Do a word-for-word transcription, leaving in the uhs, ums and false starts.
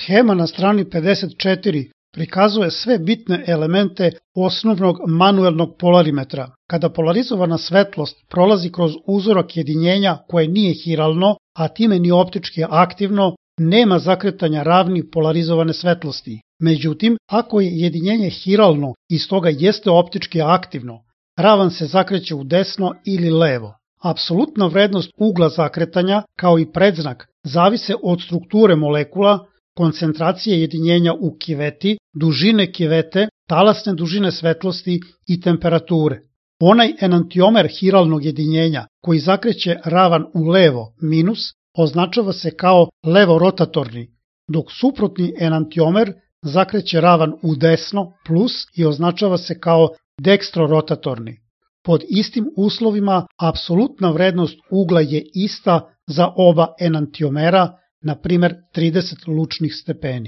Shema na strani pedeset četiri prikazuje sve bitne elemente osnovnog manuelnog polarimetra. Kada polarizovana svetlost prolazi kroz uzorak jedinjenja koje nije hiralno, a time ni optički aktivno, nema zakretanja ravni polarizovane svetlosti. Međutim, ako je jedinjenje hiralno i stoga jeste optički aktivno, ravan se zakreće u desno ili levo. Apsolutna vrednost ugla zakretanja, kao i predznak, zavise od strukture molekula, koncentracije jedinjenja u kiveti, dužine kivete, talasne dužine svetlosti i temperature. Onaj enantiomer hiralnog jedinjenja koji zakreće ravan u levo minus označava se kao levorotatorni, dok suprotni enantiomer zakreće ravan u desno plus i označava se kao dekstrorotatorni. Pod istim uslovima apsolutna vrednost ugla je ista za oba enantiomera, na primjer trideset lučnih stepeni.